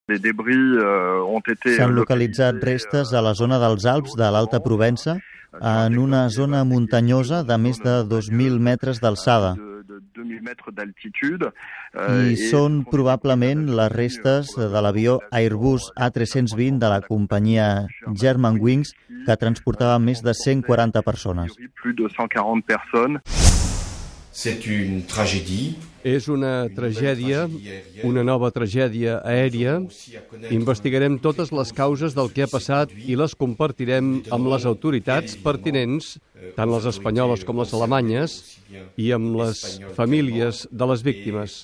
S'han localitzat restes a la zona dels Alps de l'Alta Provença, en una zona muntanyosa de més de 2.000 metres d'alçada. I són probablement les restes de l'avió Airbus A320 de la companyia Germanwings, que transportava més de 140 persones. És una tragèdia, una nova tragèdia aèria. Investigarem totes les causes del que ha passat i les compartirem amb les autoritats pertinents, tant les espanyoles com les alemanyes, i amb les famílies de les víctimes.